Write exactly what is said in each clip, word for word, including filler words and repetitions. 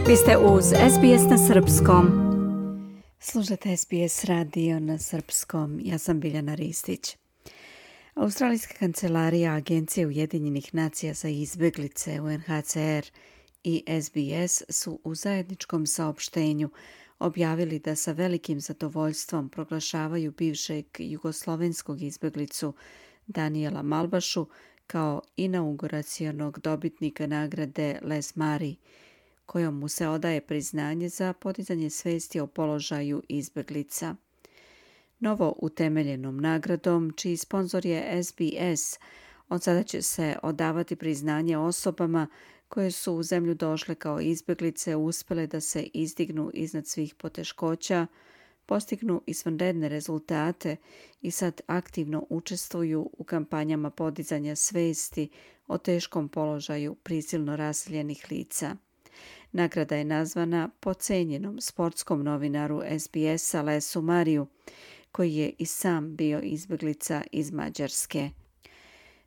Vi ste uz S B S na srpskom. Slušate S B S radio na srpskom. Ja sam Biljana Ristić. Australijska kancelarija Agencije Ujedinjenih nacija za izbjeglice U N H C R i S B S su u zajedničkom saopštenju objavili da sa velikim zadovoljstvom proglašavaju bivšeg jugoslovenskog izbjeglicu Daniela Malbašu kao inauguracionog dobitnika nagrade Les Mari, kojom mu se odaje priznanje za podizanje svesti o položaju izbjeglica. Novo utemeljenom nagradom, čiji sponzor je S B S, od sada će se odavati priznanje osobama koje su u zemlju došle kao izbjeglice, uspjele da se izdignu iznad svih poteškoća, postignu izvanredne rezultate i sad aktivno učestvuju u kampanjama podizanja svesti o teškom položaju prisilno raseljenih lica. Nagrada je nazvana po cenjenom sportskom novinaru S B S-a Lesu Mariju, koji je i sam bio izbjeglica iz Mađarske.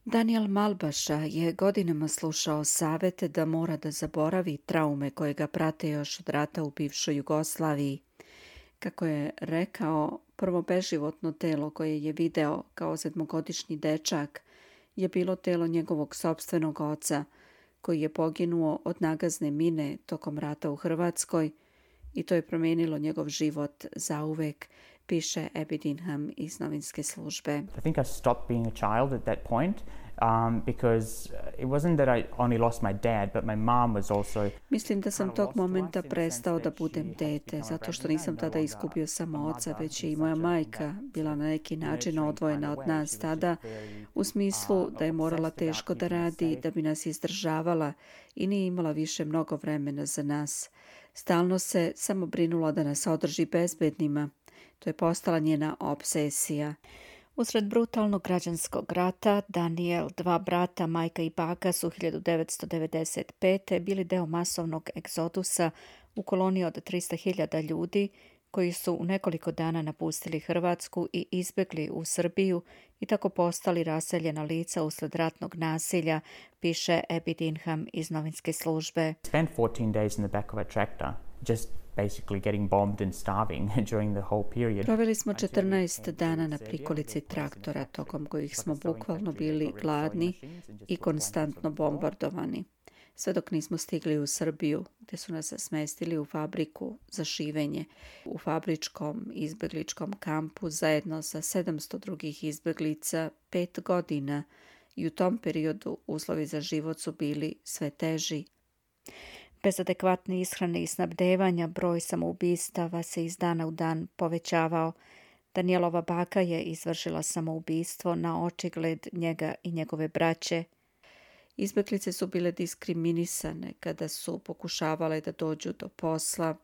Daniel Malbaša je godinama slušao savete da mora da zaboravi traume koje ga prate još od rata u bivšoj Jugoslaviji. Kako je rekao, prvo beživotno telo koje je video kao sedmogodišnji dečak je bilo telo njegovog sopstvenog oca, koji je poginuo od nagazne mine tokom rata u Hrvatskoj, i to je promijenilo njegov život zauvek, piše Abby Dinham iz novinske službe. I think I stopped being a child at that point um, because it wasn't that I only lost my dad, but my mom was also... Mislim da sam tog momenta prestao da budem dete, zato što nisam tada izgubio samo oca, već je i moja majka bila na neki način odvojena od nas tada, u smislu da je morala teško da radi, da bi nas izdržavala i nije imala više mnogo vremena za nas. Stalno se samo brinula da nas održi bezbednima. To je postala njena obsesija. Usred brutalnog građanskog rata, Daniel, dva brata, majka i baka su hiljadu devetsto devedeset pete. bili deo masovnog egzodusa u koloniji od trista hiljada ljudi koji su u nekoliko dana napustili Hrvatsku i izbjegli u Srbiju i tako postali raseljena lica usled ratnog nasilja, piše Abby Dinham iz novinske službe. Spent fourteen days in the back of a tractor, just basically getting bombed and starving during the whole period. Proveli smo četrnaest dana na prikolici traktora, tokom kojih smo bukvalno bili gladni i konstantno bombardovani. Sve dok nismo stigli u Srbiju, gdje su nas smestili u fabriku za šivenje, u fabričkom izbjegličkom kampu zajedno sa sedamsto drugih izbjeglica pet godina, i u tom periodu uslovi za život su bili sve teži. Bez adekvatne ishrane i snabdevanja broj samoubistava se iz dana u dan povećavao. Danielova baka je izvršila samoubistvo na očigled njega i njegove braće. Izbjeglice su bile diskriminisane kada su pokušavale da dođu do posla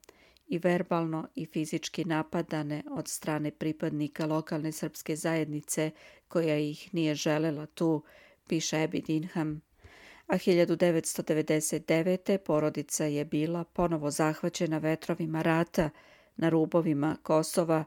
i verbalno i fizički napadane od strane pripadnika lokalne srpske zajednice koja ih nije želela tu, piše Abby Dinham. A hiljadu devetsto devedeset devete. porodica je bila ponovo zahvaćena vetrovima rata na rubovima Kosova,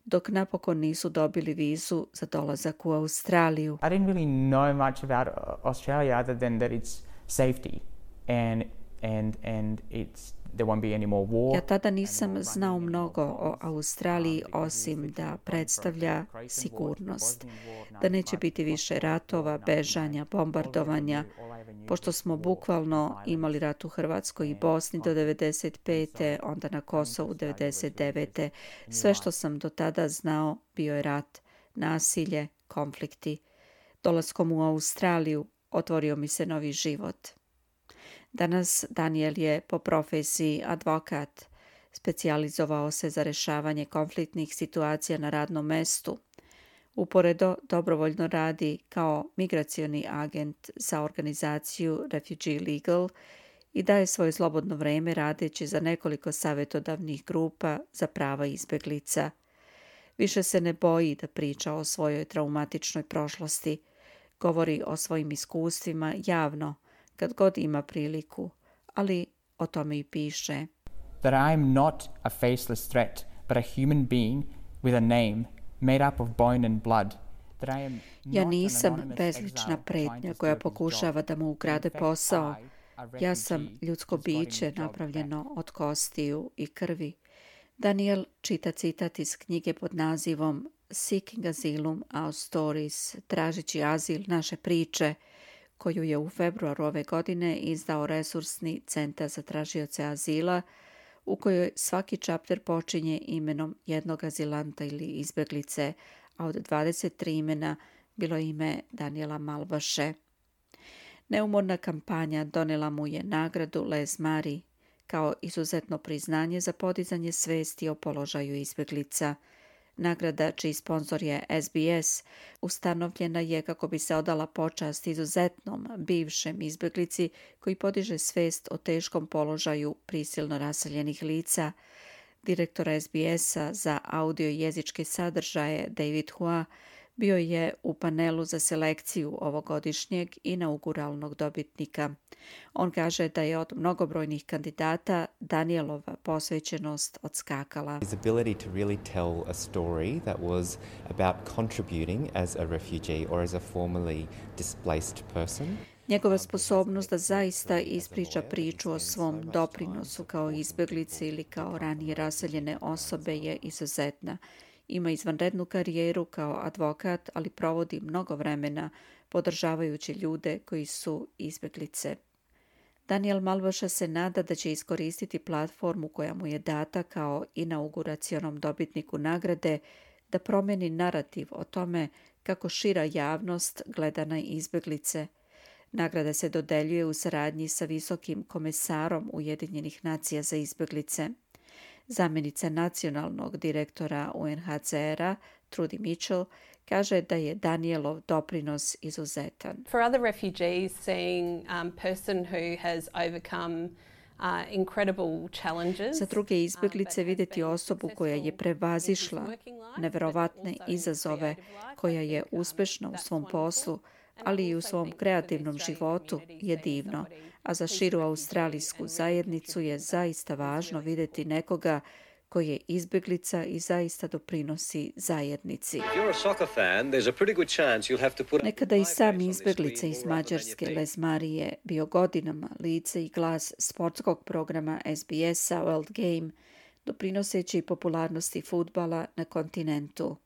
dok napokon nisu dobili vizu za dolazak u Australiju. I didn't really know much about Australia other than that it's safety and and and it's there won't be any more war. Ja tada nisam znao mnogo o Australiji osim da predstavlja sigurnost, da neće biti više ratova, bežanja, bombardovanja, pošto smo bukvalno imali rat u Hrvatskoj i Bosni do devedeset pete. onda na Kosovu devedeset devete. Sve što sam do tada znao bio je rat, nasilje, konflikti. Dolaskom u Australiju otvorio mi se novi život. Danas Daniel je po profesiji advokat. Specijalizovao se za rješavanje konfliktnih situacija na radnom mestu. Uporedo dobrovoljno radi kao migracioni agent za organizaciju Refugee Legal i daje svoje slobodno vrijeme radeći za nekoliko savjetodavnih grupa za prava izbjeglica. Više se ne boji da priča o svojoj traumatičnoj prošlosti. Govori o svojim iskustvima javno, kad god ima priliku, ali o tome i piše. That I am not a faceless threat, but a human being with a name made up of bone and blood. Ja nisam bezlična pretnja koja pokušava da mu ukrade posao. Ja sam ljudsko biće napravljeno od kostiju i krvi. Daniel čita citat iz knjige pod nazivom Seeking Asylum, Our Stories, tražeći azil naše priče, koju je u februaru ove godine izdao resursni centar za tražioce azila, u kojoj svaki čapter počinje imenom jednog azilanta ili izbeglice, a od dvadeset tri imena bilo ime Daniela Malbaše. Neumorna kampanja donela mu je nagradu Les Mari kao izuzetno priznanje za podizanje svesti o položaju izbeglica. Nagrada, čiji sponsor je S B S, ustanovljena je kako bi se odala počast izuzetnom bivšem izbeglici koji podiže svest o teškom položaju prisilno raseljenih lica. Direktor S B S-a za audio i jezičke sadržaje David Hua bio je u panelu za selekciju ovogodišnjeg inauguralnog dobitnika. On kaže da je od mnogobrojnih kandidata Danielova posvećenost odskakala. His ability to really tell a story that was about contributing as a refugee or as a formerly displaced person. Njegova sposobnost da zaista ispriča priču o svom doprinosu kao izbeglice ili kao ranije raseljene osobe je izuzetna. Ima izvanrednu karijeru kao advokat, ali provodi mnogo vremena podržavajući ljude koji su izbeglice. Daniel Malbaša se nada da će iskoristiti platformu koja mu je data kao inauguracionom dobitniku nagrade da promeni narativ o tome kako šira javnost gleda na izbeglice. Nagrada se dodeljuje u saradnji sa visokim komesarom Ujedinjenih nacija za izbeglice. Zamjenica nacionalnog direktora U N H C R-a, Trudy Mitchell, kaže da je Danielov doprinos izuzetan. For other refugees, seeing um, person who has overcome uh, incredible challenges. Za druge izbeglice vidjeti osobu koja je prevazišla neverovatne izazove, koja je uspešna u svom poslu, ali i u svom kreativnom životu je divno, a za širu australijsku zajednicu je zaista važno vidjeti nekoga koji je izbeglica i zaista doprinosi zajednici. Nekada i sam izbeglica iz Mađarske Les Mari je bio godinama lice i glas sportskog programa S B S-a World Game, doprinoseći popularnosti fudbala na kontinentu.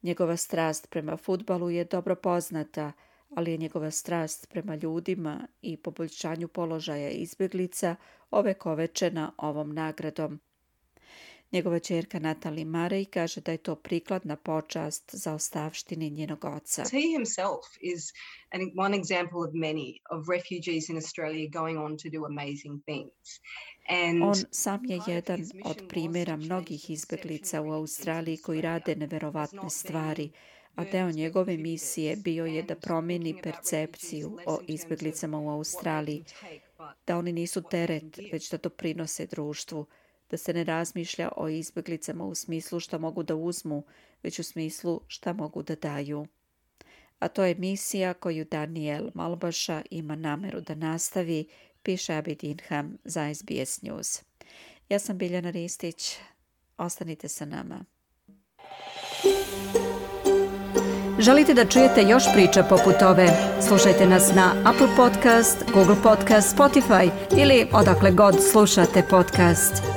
Njegova strast prema fudbalu je dobro poznata, ali je njegova strast prema ljudima i poboljšanju položaja izbeglica ovekovečena ovom nagradom. Njegova ćerka Natalie Murray kaže da je to prikladna počast za ostavštini njenog oca. He himself is an, one example of many of refugees in Australia going on to do amazing things. And on sam je jedan od primjera mnogih izbeglica u Australiji koji rade neverovatne stvari, a deo njegove misije bio je da promijeni percepciju o izbeglicama u Australiji, da oni nisu teret, već da doprinose društvu, da se ne razmišlja o izbeglicama u smislu šta mogu da uzmu, već u smislu šta mogu da daju. A to je misija koju Daniel Malbaša ima nameru da nastavi, piše Abby Dinham za S B S News. Ja sam Biljana Ristić, ostanite sa nama. Želite da čujete još priča poput ove? Slušajte nas na Apple Podcast, Google Podcast, Spotify ili odakle god slušate podcast.